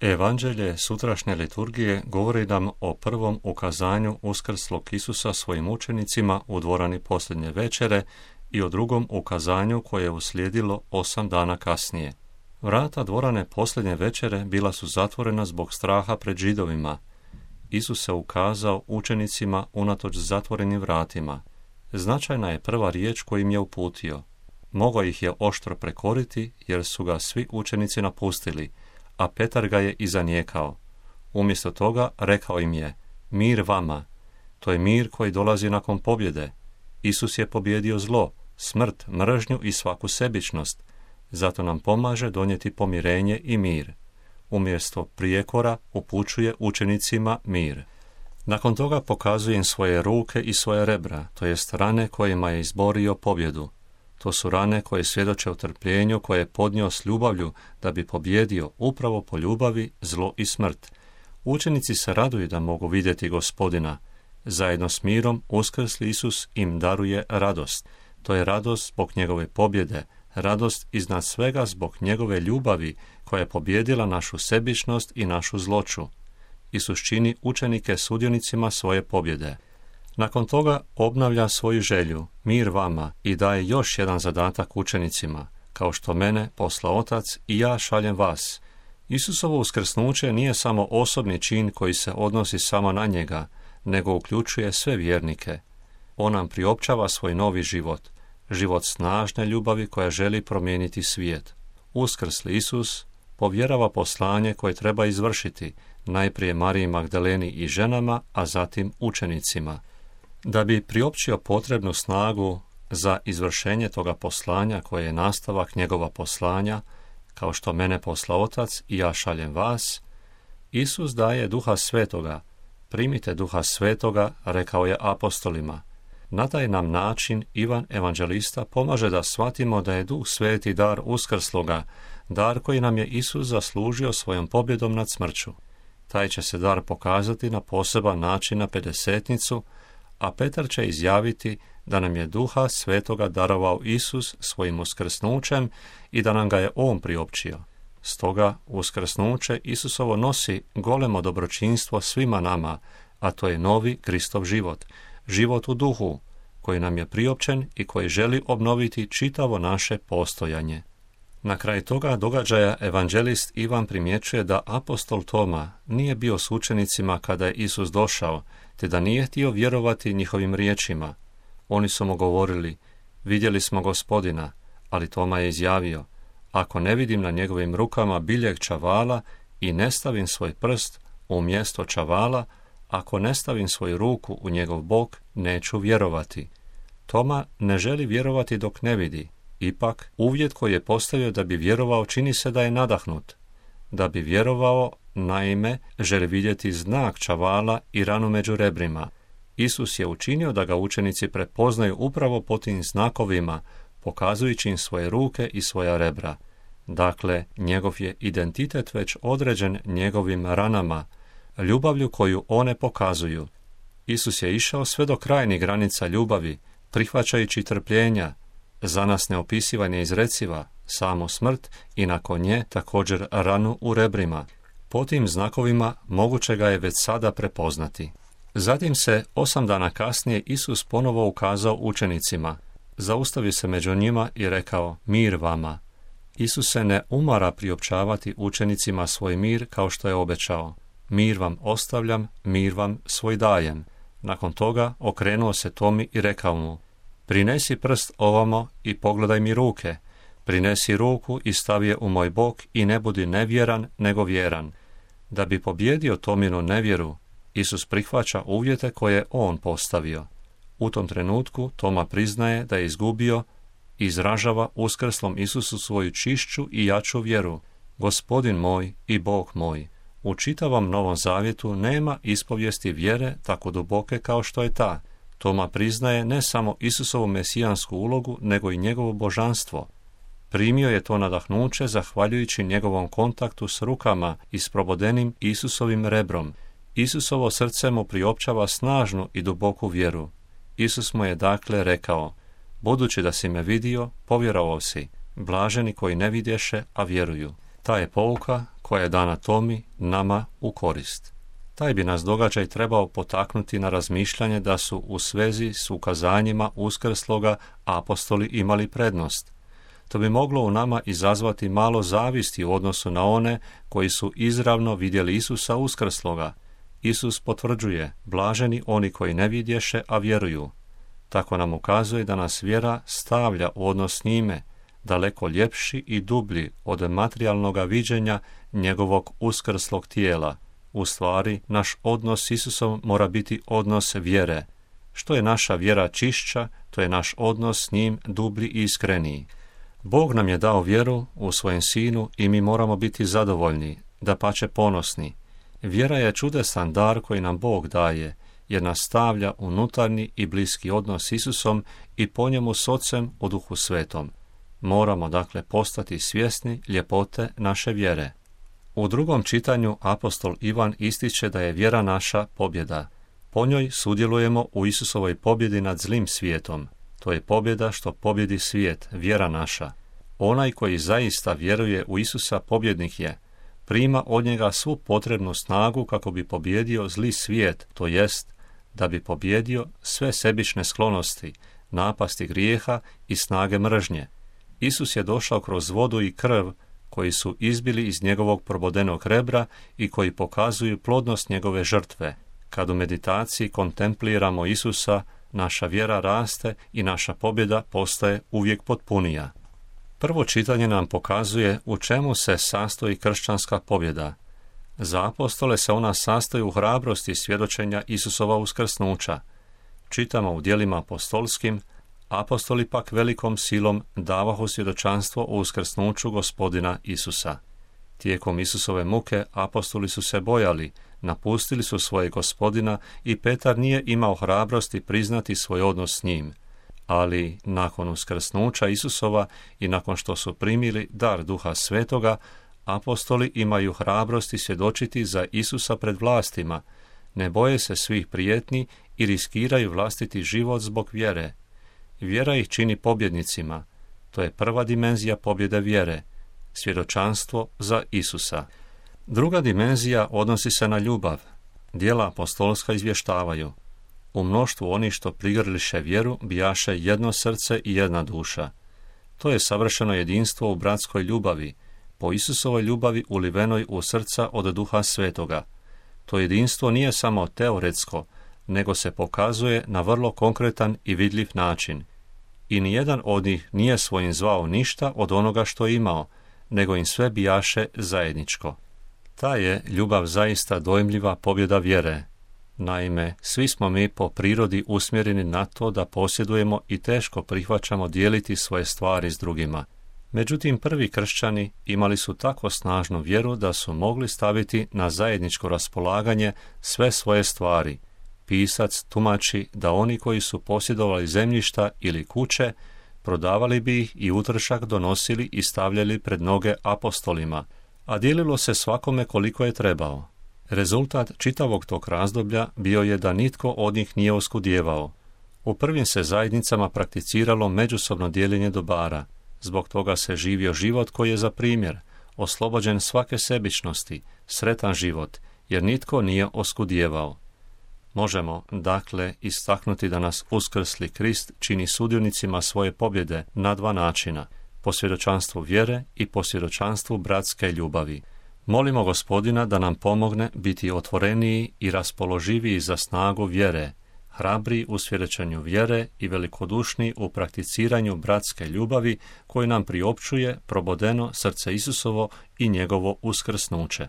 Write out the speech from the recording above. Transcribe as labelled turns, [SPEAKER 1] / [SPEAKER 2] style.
[SPEAKER 1] Evanđelje sutrašnje liturgije govori nam o prvom ukazanju uskrslog Isusa svojim učenicima u dvorani posljednje večere i o drugom ukazanju koje je uslijedilo 8 dana kasnije. Vrata dvorane posljednje večere bila su zatvorena zbog straha pred Židovima. Isus se ukazao učenicima unatoč zatvorenim vratima. Značajna je prva riječ koju im je uputio. Mogao ih je oštro prekoriti jer su ga svi učenici napustili, a Petar ga je i zanijekao. Umjesto toga rekao im je: mir vama. To je mir koji dolazi nakon pobjede. Isus je pobjedio zlo, smrt, mržnju i svaku sebičnost. Zato nam pomaže donijeti pomirenje i mir. Umjesto prijekora upućuje učenicima mir. Nakon toga pokazuje im svoje ruke i svoje rebra, to jest rane kojima je izborio pobjedu. To su rane koje svjedoče o trpljenju koje je podnio s ljubavlju da bi pobjedio upravo po ljubavi zlo i smrt. Učenici se raduju da mogu vidjeti Gospodina. Zajedno s mirom uskrsli Isus im daruje radost. To je radost zbog njegove pobjede, radost iznad svega zbog njegove ljubavi koja je pobjedila našu sebičnost i našu zloću. Isus čini učenike sudionicima svoje pobjede. Nakon toga obnavlja svoju želju, mir vama, i daje još jedan zadatak učenicima. Kao što mene posla Otac i ja šaljem vas. Isusovo uskrsnuće nije samo osobni čin koji se odnosi samo na njega, nego uključuje sve vjernike. On nam priopćava svoj novi život, život snažne ljubavi koja želi promijeniti svijet. Uskrsli Isus povjerava poslanje koje treba izvršiti, najprije Mariji Magdaleni i ženama, a zatim učenicima. Da bi priopćio potrebnu snagu za izvršenje toga poslanja koje je nastavak njegova poslanja, kao što mene posla Otac i ja šaljem vas, Isus daje Duha Svetoga. Primite Duha Svetoga, rekao je apostolima. Na taj nam način Ivan evanđelista pomaže da shvatimo da je Duh Sveti dar uskrsloga, dar koji nam je Isus zaslužio svojom pobjedom nad smrću. Taj će se dar pokazati na poseban način na Pedesetnicu, a Petar će izjaviti da nam je Duha Svetoga darovao Isus svojim uskrsnućem i da nam ga je On priopćio. Stoga uskrsnuće Isusovo nosi golemo dobročinstvo svima nama, a to je novi Kristov život, život u duhu, koji nam je priopćen i koji želi obnoviti čitavo naše postojanje. Na kraju toga događaja evanđelist Ivan primjećuje da apostol Toma nije bio s učenicima kada je Isus došao, te da nije htio vjerovati njihovim riječima. Oni su mu govorili: vidjeli smo Gospodina, ali Toma je izjavio: ako ne vidim na njegovim rukama biljeg čavala i ne stavim svoj prst u mjesto čavala, ako ne stavim svoju ruku u njegov bok, neću vjerovati. Toma ne želi vjerovati dok ne vidi. Ipak, uvjet koji je postavio da bi vjerovao čini se da je nadahnut. Da bi vjerovao, naime, želi vidjeti znak čavala i ranu među rebrima. Isus je učinio da ga učenici prepoznaju upravo po tim znakovima, pokazujući im svoje ruke i svoja rebra. Dakle, njegov je identitet već određen njegovim ranama, ljubavlju koju one pokazuju. Isus je išao sve do krajnjih granica ljubavi, prihvaćajući trpljenja, za nas neopisiva, neizreciva, samo smrt i nakon nje također ranu u rebrima. Po tim znakovima moguće ga je već sada prepoznati. Zatim se 8 dana kasnije Isus ponovo ukazao učenicima. Zaustavio se među njima i rekao: mir vama. Isus se ne umara priopćavati učenicima svoj mir kao što je obećao. Mir vam ostavljam, mir vam svoj dajem. Nakon toga okrenuo se Tomi i rekao mu: prinesi prst ovamo i pogledaj mi ruke. Prinesi ruku i stavi je u moj bok i ne budi nevjeran nego vjeran. Da bi pobjedio Tominu nevjeru, Isus prihvaća uvjete koje je on postavio. U tom trenutku Toma priznaje da je izgubio i izražava uskrslom Isusu svoju čišću i jaču vjeru. Gospodin moj i Bog moj. U čitavom Novom Zavjetu nema ispovijesti vjere tako duboke kao što je ta. Toma priznaje ne samo Isusovu mesijansku ulogu, nego i njegovo božanstvo. Primio je to nadahnuće zahvaljujući njegovom kontaktu s rukama i s probodenim Isusovim rebrom. Isusovo srce mu priopćava snažnu i duboku vjeru. Isus mu je dakle rekao: budući da si me vidio, povjerovao si. Blaženi koji ne vidješe, a vjeruju. Ta je pouka koja je dana Tomi, nama u korist. Taj bi nas događaj trebao potaknuti na razmišljanje da su u svezi s ukazanjima uskrsloga apostoli imali prednost. To bi moglo u nama izazvati malo zavisti u odnosu na one koji su izravno vidjeli Isusa uskrsloga. Isus potvrđuje, blaženi oni koji ne vidješe, a vjeruju. Tako nam ukazuje da nas vjera stavlja u odnos s njime, daleko ljepši i dublji od materijalnoga viđenja njegovog uskrslog tijela. U stvari, naš odnos s Isusom mora biti odnos vjere. Što je naša vjera čišća, to je naš odnos s njim dublji i iskreniji. Bog nam je dao vjeru u svojem Sinu i mi moramo biti zadovoljni, dapače ponosni. Vjera je čudesan dar koji nam Bog daje, jer nas stavlja u unutarnji i bliski odnos s Isusom i po njemu s Ocem u Duhu Svetom. Moramo dakle postati svjesni ljepote naše vjere. U drugom čitanju apostol Ivan ističe da je vjera naša pobjeda. Po njoj sudjelujemo u Isusovoj pobjedi nad zlim svijetom. To je pobjeda što pobjedi svijet, vjera naša. Onaj koji zaista vjeruje u Isusa pobjednik je. Prima od njega svu potrebnu snagu kako bi pobjedio zli svijet, to jest da bi pobjedio sve sebične sklonosti, napasti grijeha i snage mržnje. Isus je došao kroz vodu i krv koji su izbili iz njegovog probodenog rebra i koji pokazuju plodnost njegove žrtve. Kad u meditaciji kontempliramo Isusa, naša vjera raste i naša pobjeda postaje uvijek potpunija. Prvo čitanje nam pokazuje u čemu se sastoji kršćanska pobjeda. Za apostole se ona sastoji u hrabrosti svjedočenja Isusova uskrsnuća. Čitamo u djelima apostolskim, apostoli pak velikom silom davahu svjedočanstvo o uskrsnuću Gospodina Isusa. Tijekom Isusove muke apostoli su se bojali, napustili su svoje Gospodina i Petar nije imao hrabrosti priznati svoj odnos s njim. Ali nakon uskrsnuća Isusova i nakon što su primili dar Duha Svetoga, apostoli imaju hrabrosti svjedočiti za Isusa pred vlastima, ne boje se svih prijetnji i riskiraju vlastiti život zbog vjere. Vjera ih čini pobjednicima. To je prva dimenzija pobjede vjere, svjedočanstvo za Isusa. Druga dimenzija odnosi se na ljubav. Djela apostolska izvještavaju. U mnoštvu onih što prigrliše vjeru bijaše jedno srce i jedna duša. To je savršeno jedinstvo u bratskoj ljubavi, po Isusovoj ljubavi ulivenoj u srca od Duha Svetoga. To jedinstvo nije samo teoretsko, nego se pokazuje na vrlo konkretan i vidljiv način. I nijedan od njih nije svojim zvao ništa od onoga što je imao, nego im sve bijaše zajedničko. Ta je ljubav zaista dojmljiva pobjeda vjere. Naime, svi smo mi po prirodi usmjereni na to da posjedujemo i teško prihvaćamo dijeliti svoje stvari s drugima. Međutim, prvi kršćani imali su tako snažnu vjeru da su mogli staviti na zajedničko raspolaganje sve svoje stvari. Pisac tumači da oni koji su posjedovali zemljišta ili kuće, prodavali bi ih i utrošak donosili i stavljali pred noge apostolima, a dijelilo se svakome koliko je trebao. Rezultat čitavog tog razdoblja bio je da nitko od njih nije oskudijevao. U prvim se zajednicama prakticiralo međusobno dijeljenje dobara. Zbog toga se živio život koji je za primjer, oslobođen svake sebičnosti, sretan život, jer nitko nije oskudijevao. Možemo, dakle, istaknuti da nas uskrsli Krist čini sudionicima svoje pobjede na dva načina, po svjedočanstvu vjere i po svjedočanstvu bratske ljubavi. Molimo Gospodina da nam pomogne biti otvoreniji i raspoloživiji za snagu vjere, hrabri u svjedočenju vjere i velikodušni u prakticiranju bratske ljubavi koju nam priopćuje probodeno srce Isusovo i njegovo uskrsnuće.